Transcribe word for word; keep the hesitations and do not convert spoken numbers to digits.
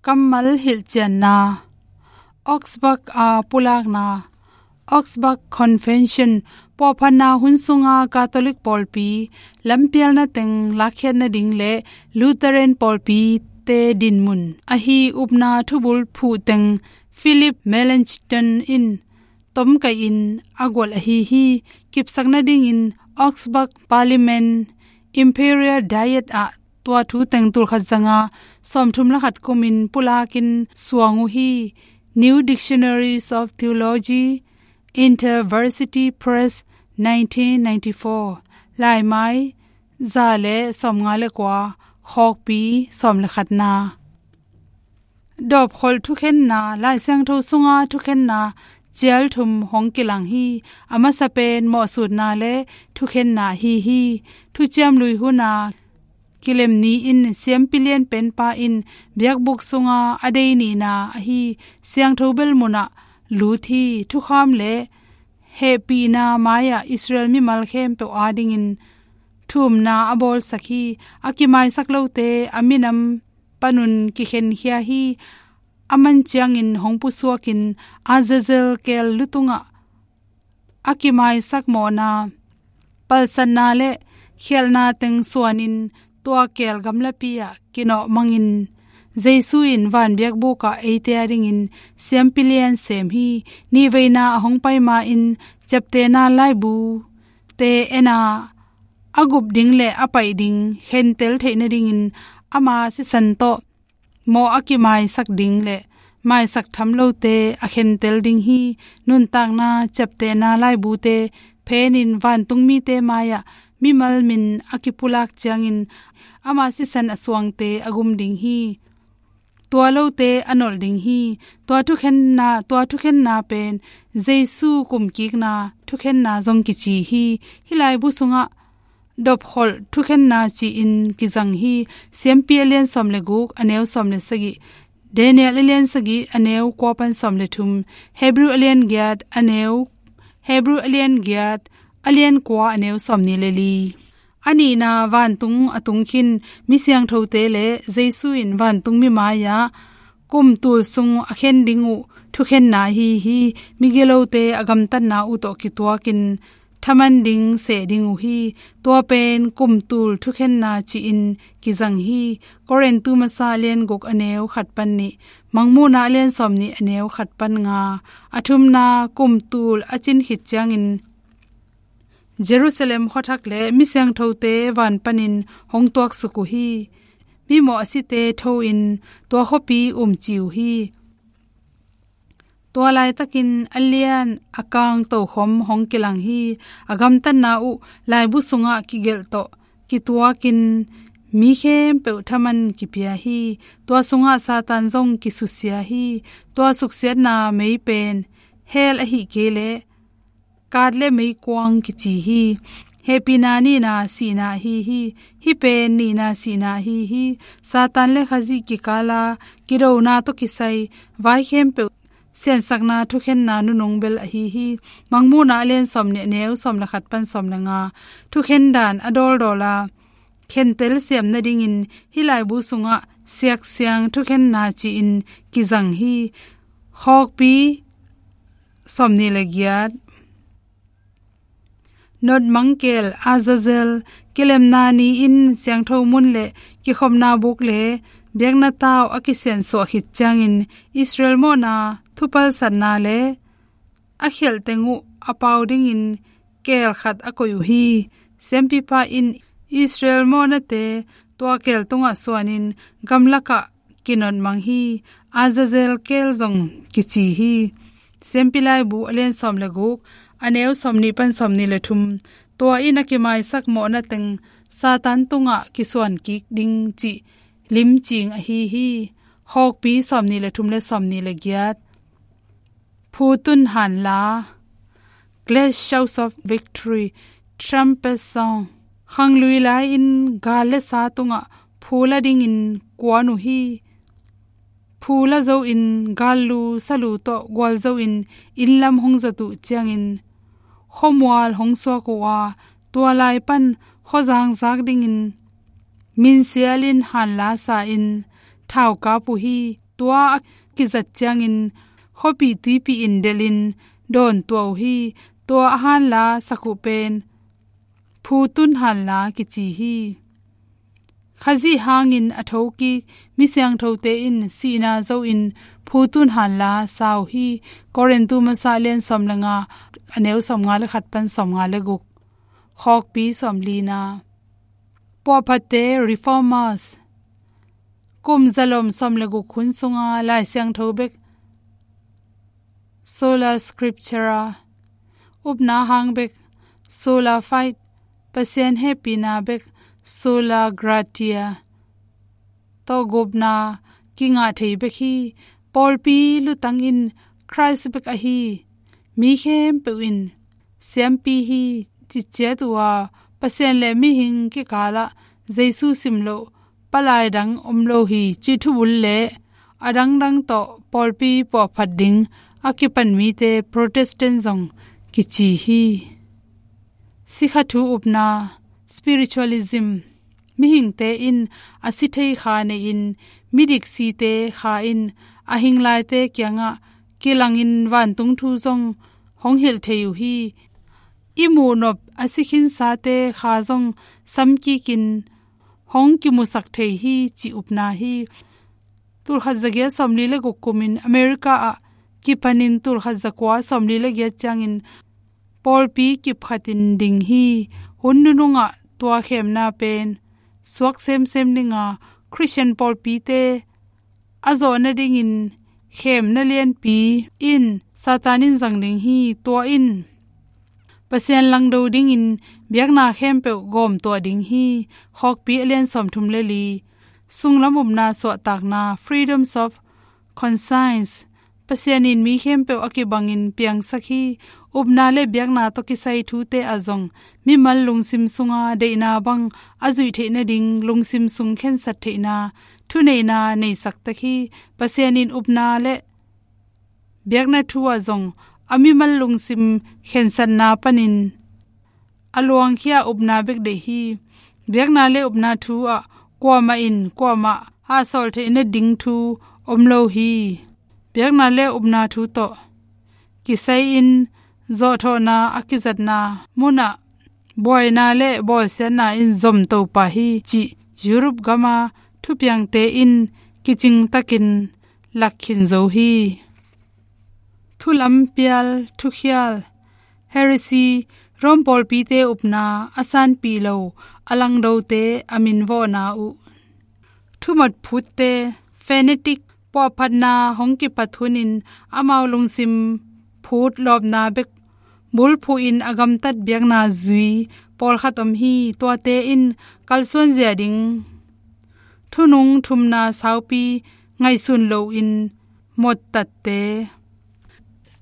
Kammal hilhcianna. Augsburg a pulakna. Augsburg Convention puahphatna hun sunga Catholic pawlpi lampialna teng lakkhiatna ding le Lutheran pawlpite dinmun ahi upna thubul phuhteng Philip Melanchthon in tomkaihin a gual ahi hi. Kipsakna dingin Augsburg Parliament Imperial Diet ah tua thu teng tulkhat zanga sawmthum le khat kumin pulakin suang uh hi. New Dictionaries of Theology, InterVarsity Press, nineteen ninety-four. Laimai za le sawmnga le kua, khawkpi sawm le khatna. Dawpkholh thukhenna. Lai Siangtho sunga thukhenna cial thum hong kilang hi. A masa pen mawhsutna le thukhenna ahi hi. Thuciam Lui huna kilem ni-in Siampi Lian Penpa in biakbuk sunga a dei nihna ahi siangtho bel munah lut hi. Thukham le hehpihna mai-ah Israel mimal khempeuh adingin thumna a bawlsak hi. A kimaisak lote a minam panun kikhenkhia hi. A man ciangin hong pusuakin Azazel keel lutungah a kimaisak mawhna, palsatna le khialhna teng suanin tua keel gamlapi-ah kinawhmangin Jesu in van biakbukah eite adingin Siampi Lian sem hi. Nihveina a hong pai ma-in ciaptehna laibute en a, a gup ding le a paih ding khentel theih nadingin ama sisan tawh mawh a kimaisak ding le maisak tham lote a khentel ding hi. Nuntakna ciaptehna laibute phenin vantung mite mai-ah mimal min a kipulak ciangin ama sisan a suangte a gum ding hi. Tua lote a nolh ding hi. Tua thukhenna, tua thukhenna pen Jesu kumkikna thukhenna zong kici hi. Hih laibu sungah dawpkholh thukhenna ci-in kizang hi. Siampi a lian sawm le guk, a neu sawm le sagih, Daniel a lian sagih, a neu kua pan sawm le thum, Hebrew a lian giat, a neu, Hebrew a lian giat, a lian kua, a neu sawmnih le li. A nihna, vantung a tung khin mi siangthote le Jesu in vantung mi mai-ah kum tul sung a khen ding uh thukhenna ahi hi. Migilote a gamtatna uh tawh kituakin thaman ding seh ding uh hi. Tua pen kum tul thukhenna ci-in kizang hi. Korintu masa a lian guk, a neu khat pan nih, Mangmuhna a lian sawmnih, a neu khat pan nga. A thumna, kum tul a cin khit ciangin Jerusalem khuathak le mi siangthote van panin hong tuaksuk uh hi. Mimawh a site tho-in tua khuapi umci uh hi. Tua laitakin a lian a kang tokhom hong kilang hi. A gamtatna uh laibu sungah kigelh tawh kituakin mi khempeuh thaman kipia hi. Tua sungah Satan zong kisusia hi. Tua suksiatna mei pen hell ahih kei leh kat le meikuang kici hi. Hehpihna nihna sihna ahi hi. Hih pen nihna sihna ahi hi. Satan le Khazih kikala kidona tawh kisai vai khempeuh siansakna thukhenna nunung bel ahi hi. Mangmuhna a lian sawmnih, a neu sawm le khat pan sawm le nga. Thukhen dan a dawldawl a khentel siam nadingin hih laibu sungah siaksiang thukhenna ci-in kizang hi. Khawkpi sawmnih le giat. Notmang keel Azazel, kilemna ni-in siangtho mun le kikhopna buk le biakna tau a kisiansuah khit ciangin Israel mawhna thupalsatna le a khialh teng uh a pau dingin keel khat a koih uh hi. Siampipa in Israel mawhnate tua keel tungah suanin gamlakah kinotmang hi. Azazel keel zong kici hi. Siampi laibu a lian sawm le guk, a neu sawmnih pan sawmnih le thum. Tua in a kimaisak mawhna teng Satan tungah kisuan kik ding cih limcing ahi hi. Khawkpi sawmnih le thum le sawmnih le giat. Phu tun hanla, great shouts of victory, trumpet song. Khanglui lai-in gal le sa tungah phu la dingin kuan uh hi. Phu la zo-in gallu salu tawh gualzo-in inn lam hong zot uh ciangin khuamual hong suak uh a, tua lai pan khuazang zak dingin minsialin hanla sa-in thaukap uh hi. tua a kizat ciangin khuapih tuipih in delhin dawn tuah uh hi. Tua a hanla sak uh pen phu tun hanla kici hi. Khazih hangin a thokik mi siangthote in sihna zo in phu tun hanla sa uh hi. Korintu masa lian sawm le nga, a neu sawm nga le khat pan sawm nga le guk. Khawkpi sawm lina. Puahphatte, reformers, kum zalom sawm le guk hun sunga Lai Siangtho bek, sola scriptura, upna hang bek, sola fide, Pasian hehpihna bek, sola gratia, tawh gupna kingah thei bek hi. Pawlpi lutang in Khrist bek ahi, mi khempeuh in siampi hi, ciciat uh a, Pasian le mihing kikalah Jesu simloh palai dang om lo hi, cih thubul le a dangdang tawh pawlpi puahphat ding a kipan mite Protestant zong kici hi. Sikha thu upna, spiritualism. Mihingte in a si thei kha nei-in, midik site kha in a hinglaite kiangah kilangin vantung thu zong hong hilh thei uh hi. I muhnop a si khinsate kha zong samkikin hong kimusak thei hi, cih upna hi. Tulkhat zagiat sawmli le guk kumin America ah kipanin tulkhat zakua sawmli le giat ciangin pawlpi kipkhatin ding hi. Hun nunungah tua khemna pen suak semsem dinga Khristian pawlpite a zawh nadingin khemna lianpi in Satan in zang ding hi. Tua in Pasian langdo dingin biakna khempeuh gawmtuah ding hi. Khawkpi a lian sawmthum le li. Sunglam upna suahtakna, freedoms of conscience. Pasian in mi khempeuh a kibangin piangsak hi. Upna le biakna tawh kisai thute ah zong mimal lungsim sunga deihna bang a zuih theih nading lungsim sung khensat theihna thuneihna neisak tek hi. Pasian in upna le biakna thu ah zong a mimal lungsim khensatna panin a luangkhia upna bek deih hi. Biakna le upna thu ah kuamah in kuamah hahsawl theih nading thu om lo hi. Biakna le upna thu tawh kisai-in zawhthawhna a kizatna munah buaina le bawlsiatna in zomto pah hi, cih Europe gama thupiangte in kicingtakin lakkhin zo hi. Thulampial, thukhial, heresy, Rome pawlpite upna a sanpih lo a langdote a minvawhna uh. Thumat phutte, fanatic, puahphatna hong kipat hunin amau lungsim phut lawpna bek bulphuhin a gamtat biakna zui pawlkhat om hi. Tuate in kalsuanzia ding thunung thumna saupi ngaihsun loin mottatte,